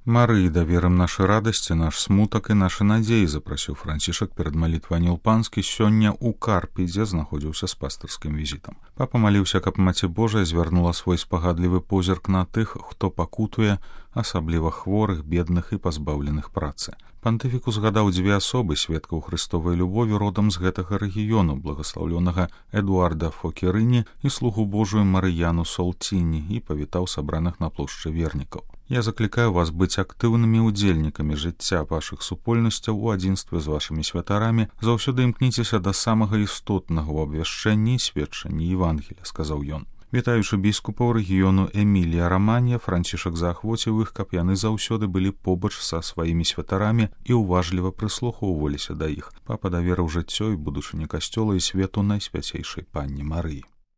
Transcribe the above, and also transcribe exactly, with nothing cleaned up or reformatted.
Марыі даверым нашы радасці, наш смутак і нашы надзеі, запрасіў Францішак перад малітвай Аніл Панскі сёння ў Карпі, дзе знаходзіўся з пастырскім візітам. Папа маліўся, каб Маці Божая звярнула свой спагадлівы позірк на тых, хто пакутуе, асабліва хворых, бедных і пазбаўленых працы. Пантыфік узгадаў дзве асобы, сведкаў Хрыстовай любові родам з гэтага рэгіёну, благаслаўлёнага Эдуарда Фокерыні і слугу Божую Марыяну Солціні, і павітаў сабраных на плошчы вернікаў. Я заклікаю вас быць актыўнымі ўдзельнікамі жыцця вашых супольнасцяў у адзінстве з вашымі святарамі, заўсёды імкніцеся да самага істотнага ў абвяшчэнні і сведчанні Евангелія, сказаў ён. Вітаючы біскупаў рэгіёну Эмілія-Раманья, Францішак заахвоціў іх, каб яны заўсёды былі побач са сваімі святарамі і ўважліва прыслухоўваліся да іх. Папа даверыў жыццё і будучыні касцёла і свету найсвяцейшай панне Марыі.